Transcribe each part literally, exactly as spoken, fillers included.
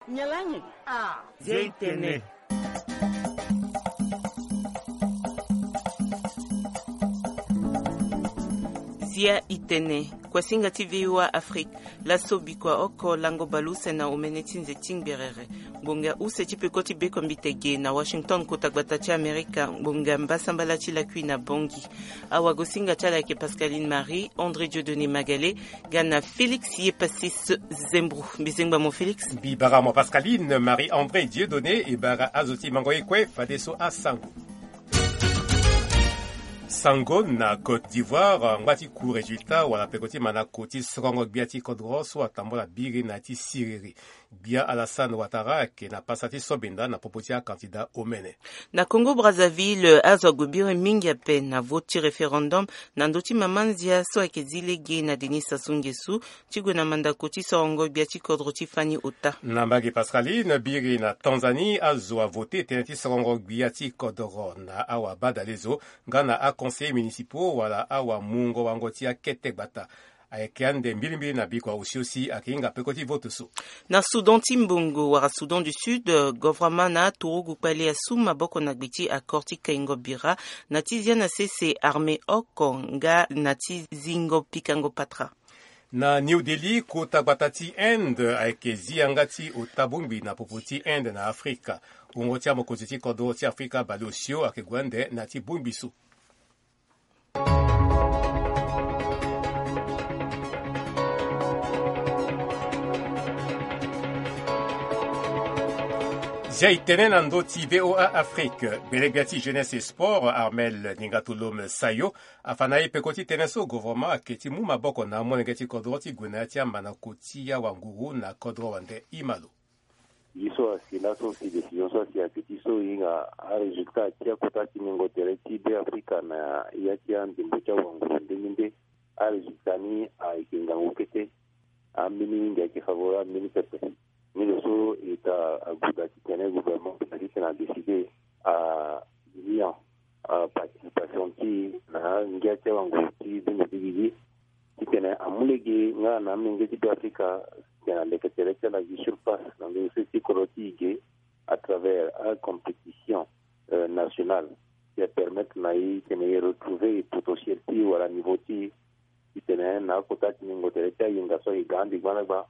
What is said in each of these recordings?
Nyalangi. Ah. Zia itene. Zia itene. Kuasinga ti V O A Afrique. Laso bikua oko lango baleuse na omene ti nze ti ngberere. Ngbonga use ti peko ti bekombite ge na Washington, kota gbata ti Amerika. Ngbonga mbasambala ti lakui na Bangui. Awagosinga ti ala ayeke Pascaline Marie, André Dieudonné Magalé, ga na Félix Yepasis Zembro. Mbi zengba mo Félix. Mbi bara mo Pascaline Marie André Dieudonné, e bara azo ti mango ye kue fadeso asango. Sango na Côte d'Ivoire, ngba ti cour résultat wala peko ti mandako ti sorongo gbia ti kodro so atambola biri na ya ti siriri. Gbia Alassane Ouattara ayeke na pasa ti sobinda na popo ti akandida omene. Na Congo Brazzaville, azo ague biri mingi ape na vote ti référendum na ndö ti mama ndia so ayeke zi lege na Denis Sassou Nguesso ti gue na mandako ti sorongo gbia ti kodro ti fani ota. Na mbage Pascaline, biri na Tanzanie, azo avote tënë ti sorongo gbia ti kodro na awabadalezo nga na aconseillers municipaux wala awamungo wango ti akete gbata. Ayeke ande mbilimbili na bikua osio si ayeke hinga peko ti vote so. Na Soudan ti mbongo wala Soudan du Sud, eh, gouvernement na aturugu kpale asu maboko na gbe ti accord ti kaingo bira na ti zia na sese armée oko nga na ti zingo pikango patra. Na New Delhi, kota gbata ti Inde ayeke zi yanga ti ota bongbi na popo ti Inde na Afrika. Wungo ti amokonzi ti kodro ti Afrika baleosio ayeke gue ande na ya ti bongbi so. Zia itene na ndö ti V O A Afrique, gbelegbia ti jeunesse et sport, Armel Ningatolome Sayo, afa na ye peko ti tënë so gouvernement ayeke ti mu maboko na amolenge ti kodro ti gue na ya ti amandako ti awanguru na kodro wande. Ima lo. Ye so asi laso si décision so asi ayeke ti so e hinga arésultat ti akota ti ngingo tere ti Be Afrika na ya ti andembo ti awanguru ndenge nde. Arésultat ni ayeke ngangu kete. Ambeni mingi ayeke favorable ambeni pepe. Ni lo so eta aguda titene gouvernement ti tene adécide alia participation ti e na ngia ti awanguru ti zende ti gigi. Titene amu lege nga na amenge ti Be Afrika titene aleke tere ti ala gi sur place na ndö ti kodro ti e ge à travers acompétition nationale. Ti apermettre na e titene e retrouver e potentiel ti e wala niveau ti e. Titene na akota ti ngingo tere ti ayenga so e ga ande gbandagba.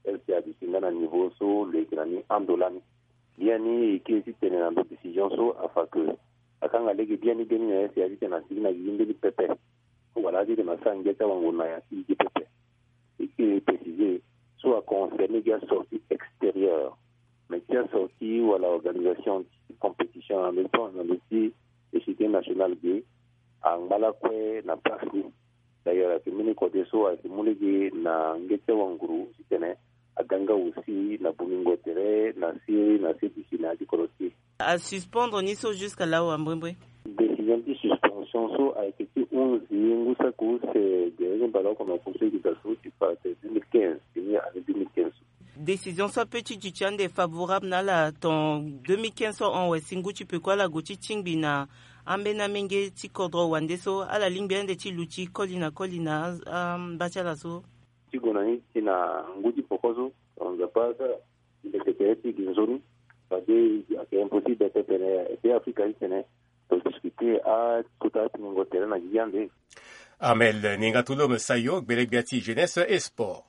L C A duti nga na niveau so lo yeke na ni ando lani. Biani e kiri titene na ndo décision so afa ke akanga lege biani biani na L C A titene asigi na gigi mbeni pepe. Wala titene asara ngia ti awanguru na ya ti gigi pepe. E kiri préciser so aconcerner gi asortie extérieure. Mais ti asortie wala organisation ti compétition na ndo ti na ndo ti échiquier national ge angba lakue na place ni. D'ailleurs ayeke mbeni kode so ayeke mu lege na ngia ti awanguru titene aga nga aussi na bongingo tere na se na se duti na ya ti kodro ti e. Asuspendre ni so jusqu'à là wa mbwembwe. Décision ti suspension so ayeke ti hunzi ngu saki use gere ni mbala oko na oko so e yeke daa so ti fa ate deux mille quinze, fini année deux mille quinze so. Décision so ape ti duti ande favorable na ala ton deux mille quinze so ahon wasi ngu ti peko ala gue ti tingbi na ambeni amenge ti kodro wande so ala lingbi ande ti luti koli na koli na amba ti ala so. Ti gue na ni ti na ngu ti poko so, Nzapa asara mbeti tere ti gi nzoni. Fade ayeke impossible pepe na Be Afrika titene lo discuter akota ti ngingo tere na gigi ande. Armel Ningatolome Sayo, gbelegbia ti jeunesse et sport.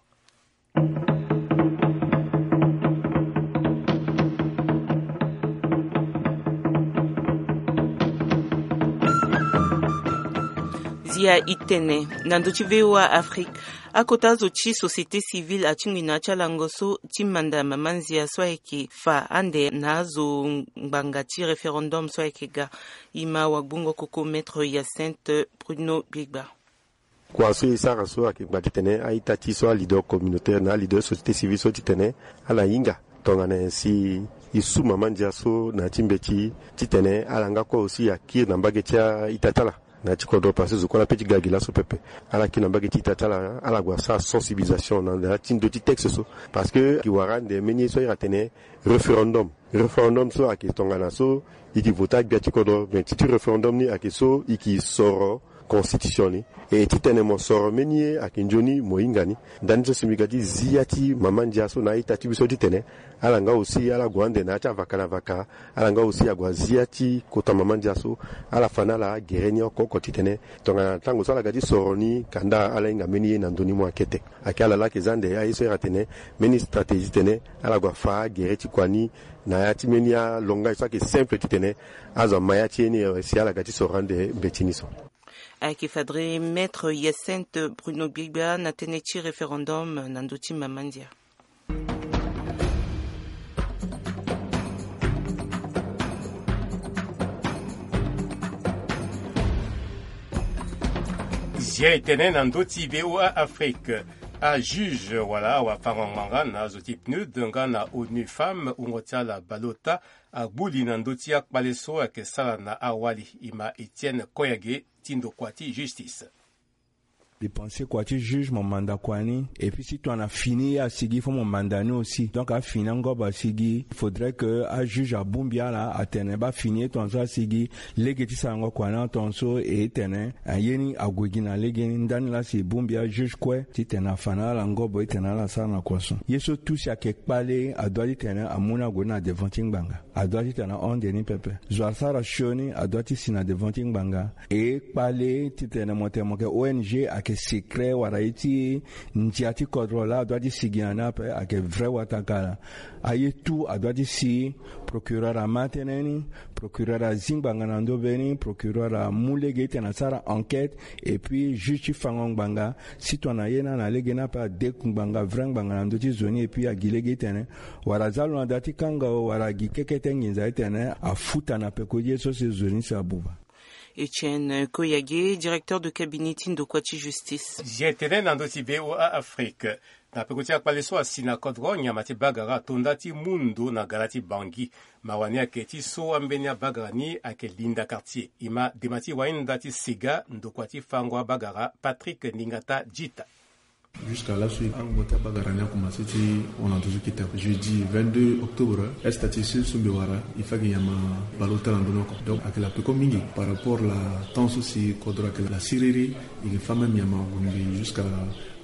Zia itene na ndo ti V O A Afrique. Akota zo ti société civile atingbi na ya ti alango so ti manda mama nzia so ayeke fa ande na azo ngbanga ti référendum so ayeke ga. E ma wagbongo koko maître Hyacinthe Bruno Biegba. Kua so e sara so ayeke ngba titene a-ita ti so aleader communautaire na aleader société civile so titene ala hinga tongana nyen si e su mama ndia so na ya ti mbeti titene ala nga kue aussi akiri na mbage ti a-ita ti ala. Na ya ti kodro parce que zo kue ala pe ti ga gi laso pepe. Ala kiri na mbage ti ita ti ala, ala gue asara sensibilisation na ya ti ndö ti texte so. Parce que e wara ande mbeni ye so ahiri atene référendum. Référendum so ayeke tongana so e yeke vote agbia ti kodro, mais ti ti référendum ni ayeke so e yeke soro constitution ni. E titene mo soro mbeni ye ayeke nzoni mo hinga ni. Ndani so si mbi ga ti zi ya ti mama ndia so na a-ita ti mbi so titene ala nga aussi ala gue ande na ya ti avaka na vaka. Ala nga aussi ague azi ya ti kota mama ndia so, ala fa na ala agere ni oko oko titene tongana tango so ala ga ti soro ni kanda ala hinga mbeni ye na ndö ni mo akete. Ayeke ala laa ayeke za ande aye so iri atene mbeni stratégie titene ala gue afa agere ti kua ni na ya ti mbeni alongai so ayeke simple titene azo ama ya ti ye ni, eh, si ala ga ti soro ande mbeti ni so. Ayeke fadre Maître Hyacinthe Bruno Gbigba na tënë ti référendum na ndö ti mama ndia. Zia e tene na ndö ti V O A Afrique. Ajuge wala awafango-ngbanga na azo ti PNUD nga na ONU Femmes, wungo ti ala baleota, agbu li na ndö ti akpale so ayeke sara na awali, e ma Etienne Koyage ti ndokua ti justice. Dépenser kua ti juge, mo manda kua ni. Et puis si tongana fini ye asigi, faut mo manda ni aussi. Donc afini angobo asigi, il faudrait que ajuge abongbi ala atene bafini ye tongaso asigi, lege ti sarango kua ni atongaso, e tene aye ni ague gi na lege ni. Ndani laa si e bongbi ajuge kue titene afa na ala ngobo titene ala sara na kua so. Ye so tout si ayeke kpale, adoit titene amu ni ague ni na devant ti ngbanga. Adoit titene ahon nde ni pepe. Zo asara sioni adoit ti si na devant ti ngbanga. E kpale titene mo tene mo yeke O N G ayeke secret, wala ye ti ndia ti kodro laa adoit ti si gi na ni ape, ayeke vrai watakala. Aye tout adoit ti si. Procureur ama tënë ni, procureur azi ngbanga na ndö be ni, procureur amu lege titene asara enquête, et puis juge ti fango ngbanga, si tongana ye ni ana lege ni ape ade ngbanga, vrai ngbanga na ndö ti zo ni, et puis agi lege titene wala aza lo na da ti kanga o, wala agi kekete nginza titene afuta na peko ti ye so si zo ni si abuba. Etienne Koyage, directeur de cabinet ti ndokua ti justice. Zia e tene na ndö ti V O A Afrique. Na peko ti akpale so asi na kodro, nyama ti bagara ato nda ti mu ndo na gala ti Bangui. Mawa ni ayeke ti so ambeni abagara ni ayeke Linda Cartier. E ma dema ti wahinda ti Sega, ndokua ti fango abagara Patrick Ningata Djita. Jusqu'à laso angbo ti abagara ni akomanse ti hon na ndo so kita jeudi vingt-deux octobre. Esta ti so so mbi wara, il faut que nyama baleota na ndo ni oko. Donc ayeke la peko mingi par rapport la temps so si kodro ayeke la siriri. E yeke fâ même nyama ague mbi jusqu'à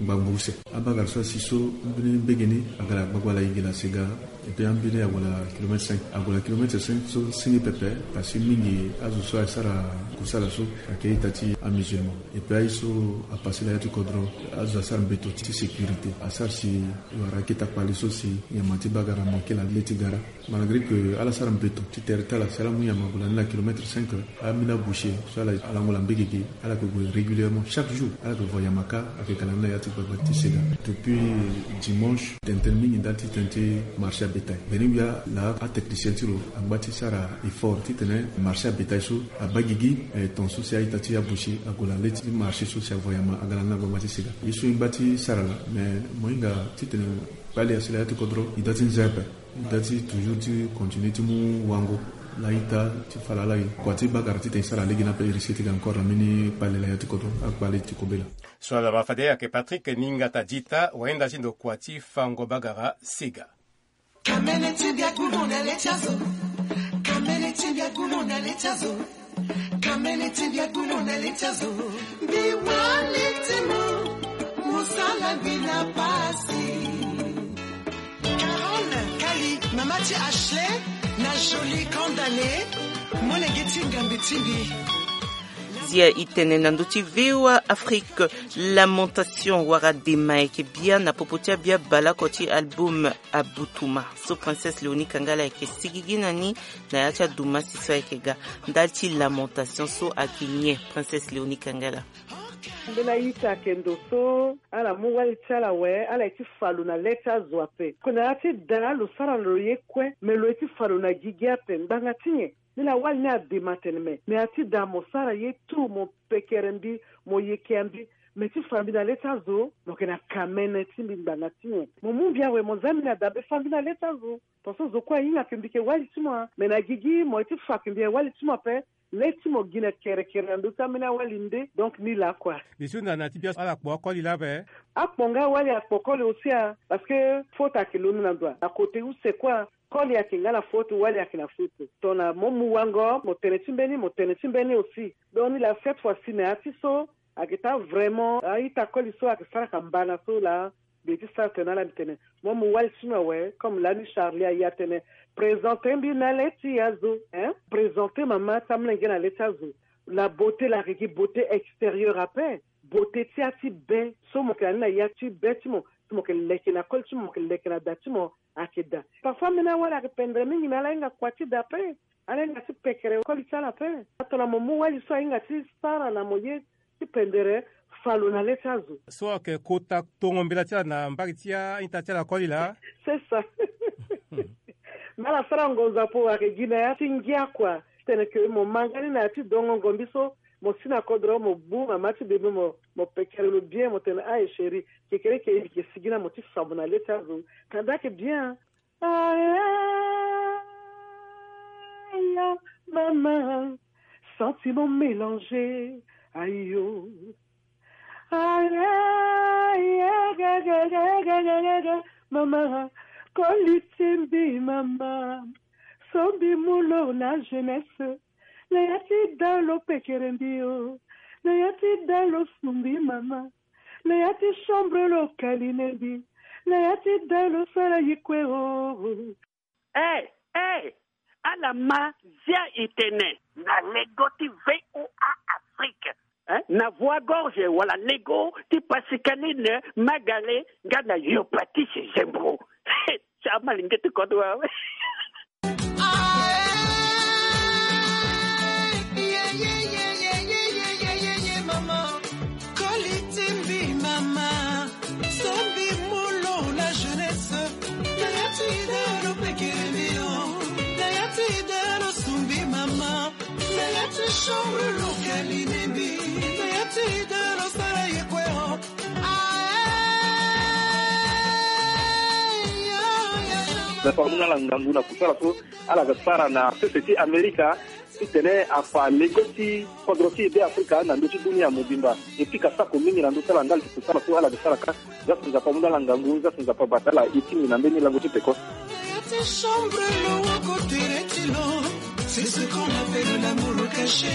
ngbangbo use. Abagara so asi so, ambeni mbege ni aga la gbagba la yenge la Sega. Et puis ambeni ague la kilomètre cinq, ague la kilomètre cinq so senge pepe. Parce que mingi azo so asara kusala so ayeke ita ti amusulman. Et puis aye so apase la ya ti kodro, azo asara mbeto ti sécurité, asara si e wara akita kpale so si nyama ti bagara amanke la le ti gara. Malgré que ala sara mbeto ti tere ti ala si ala mu nyama ague la ni na kilomètre cinq, ambeni aboucher so ala lango la mbege ge, ala yeke gue régulièrement chaque jour, ala yeke voyama kâ. Ayeke ga la ni na ya ti gbagba ti Sega. Depuis dimanche tene tene mingi ndali ti tene ti marché à bétail. Mbeni wia la atechnicien ti lo angba ti sara effort titene marché à bétail so abaa gigi, eh, ton so si a-ita ti aboucher ague la le ti marché so si avoyama aga la ni na gbagba ti Sega. Ye so e ngba ti sara la, mais mo hinga titene kpale asi la ya ti kodro, e doit ti nze ape. E doit ti toujours ti continuer ti mu wango la ita ti fa lala e kua ti bagara titene e sara lege ni ape, e risque ti ga encore na mbeni kpale la ya ti kodro, akpale ti kobela. So ala ma fade ayeke Patrick Ningata Djita, wahinda ti ndokua ti fango bagara Sega. Kamene ti mbi agulu na le ti azo. Kamene ti mbi agulu na le ti azo. Kamene ti mbi agulu na le ti azo. Mbi wali ti mo, mosala mbi na pasi. Carole Kali, mama ti Ashley, na Jolie Kandale, molenge ti ngambe ti mbi. Zia e tene na ndö ti V O A Afrique. Lamentation wala dema ayeke bia na popo ti abia baleoko ti album Abutuma so Princesse Léonie Kangala ayeke sigigi na ni na ya ti adumasi so ayeke ga. Ndali ti lamentation so ayeke nyen, Princesse Léonie Kangala? Mbela ita ayeke ndo so ala mu wali ti ala awe, ala ye ti fa lo na le ti azo ape. Ko na ya ti da lo sara lo ye kue, me lo ye ti fa lo na gigi ape. Ngbanga ti nyen? Ni laa wali ni adema tene me, me ya ti da mo sara ye tout, mo pekere mbi, mo yeke ya mbi. Me ti fa mbi na le ti azo, mo yeke na kamene ti mbi ngbanga ti nyen? Mo mu mbi awe, mo za mbi na dabe, fa mbi na le ti azo. Tongaso zo kue ahinga ke mbi yeke wali ti mo, me na gigi mo ye ti fa ke mbi yeke wali ti mo ape. Lê ti mo gi na kerekere na ndö ti ambeni awali nde. Donc ni laa kua. Bisu na na ti bia ala kpo akoli laa ape. Akpo nga awali akpo koli aussi a. Parce que faute ayeke londo na ndo a na côté use kua. Koli ayeke nga na faute wali ayeke na faute. Tongana mo mu wango mo tene ti mbeni mo tene ti mbeni aussi. Donc ni laa cette fois-ci na ya ti so ayeke taa vraiment a-ita koli so ayeke saraka mbana so laa. Mbi ye ti sara tene na ala mbi tene mo mu wali ti mbi awe. Comme lani Charlie aye atene présente mbi na le ti azo. Présente mama ti amolenge na le ti azo. La beauté la regi beauté extérieure ape. Beauté ti ya ti be so mo yeke na ni na ya ti be ti mo. So mo yeke leke na koli ti mo mo yeke leke na da ti mo. Ayeke daa. Parfois ambeni awali ayeke pendere mingi me ala hinga kua ti daa ape. Ala hinga ti pekere koli ti ala ape. Atona mo mu wali so ahinga ti sara na mo ye ti pendere fa lo na le ti azo. So ayeke kota tongo mbela ti ala na mbage ti a-ita ti ala koli laa. C'est ça. Me ala sara ngonzo apo ayeke gi na ya ti ngia kua. Titene ke mo ma nga ni na ya ti dongongo mbi so. Mo si na kodro mo gbu mama ti bebe mo mo pekere lo bien mo tene aye chéri. Kekereke e mbi ke sigi na mo ti fa mo na le ti azo. Kanda ayeke bien. Aya mama. Sentiment mélangé. Ayo. Aya. Mama. Koli ti mbi mama. So mbi mu lo na jeunesse. Na ya ti da lo pekere mbi o. Na ya ti da lo sumbi mama. Na ya ti chambre lo kaline mbi. Na ya ti da lo sara ye kue o. Eh, eh, ala ma zia e tene. Na lego ti VOA Afrique. Eh, na voix gorge wala lego ti Pascaline Magale nga na Yopatise Zembro. Ti amalenge ti kodro awe. Koli ti mbi mama. So mbi mu lo na jeunesse. Na ya ti da lo pekere mbi o. Na ya ti da lo sumbi mama. Na ya ti chambre lo kaline mbi. Na ya ti da lo sara ye kue o. Nzapa amu na ala ngangu na kusala so ala ga sara na sese ti Amerika. Titene afa lego ti kodro ti e Be Afrika na ndö ti dunia mobimba. E pika sako mingi na ndö ti ala ndali ti kusala so ala ga sara ka. Za so Nzapa amu na ala ngangu, za so Nzapa abata ala. E tingbi na mbeni lango ti peko. Na ya ti chambre lo woko tere ti lo. C'est ce qu'on appelle l'amour caché.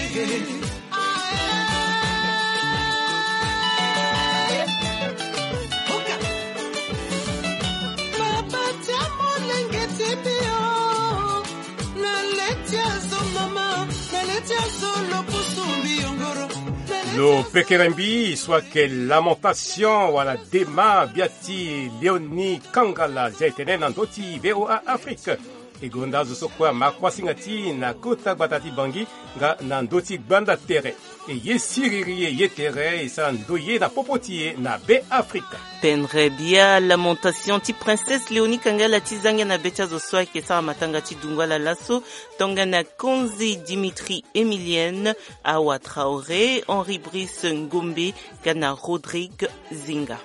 Lo pekere mbi so ayeke Lamentation wala Dema, bia ti Léonie Kangala, zia e tene na ndö ti VOA Afrique. E gonda azo so kue ama kuasinga ti e na kota gbata ti Bangui nga na ndö ti gbanda tere. E ye siriri e ye tere e sara ndoye na popo ti e na Be Afrika. Pendere bia Lamentation ti Princesse Léonie Kangala ti zangia na be ti azo so ayeke sara matanga ti dungo ala laso. Tongana Konzi Dimitri Emilienne, Awa Traoré, Henri Brice Ngombe nga na Rodrigue Zinga.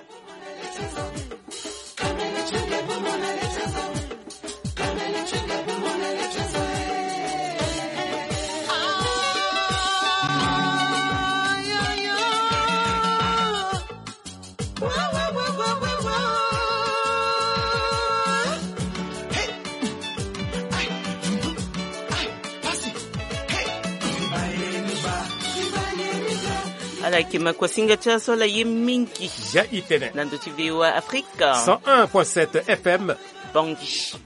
Ala yeke makuasinga ti aso ala ye mingi. Ja itene na ndo ti VOA Afrique cent un point sept F M Bangui.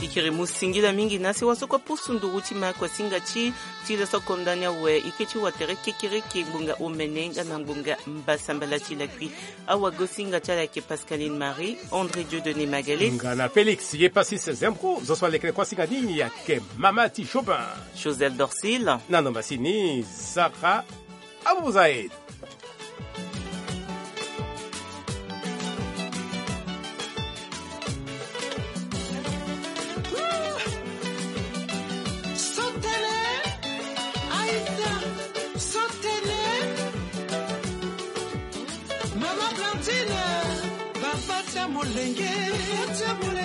Ikiri mu singila mingi na si wasoko pusu nduru ti ma kuasinga ti ti laso konda ni awe ike ti watere kekereke ngbonga omene nga na ngbonga mbasambala ti lakui. Awagosinga ti ala ayeke Pascaline Marie, André Dieudonné Magalé nga na Félix Yepasis Zembro. Zo so alekere kuasinga ni ayeke mama ti Jobin Joseph Dorcil na nomba si ni Sarah Abouzaid. Molenge, tia molenge.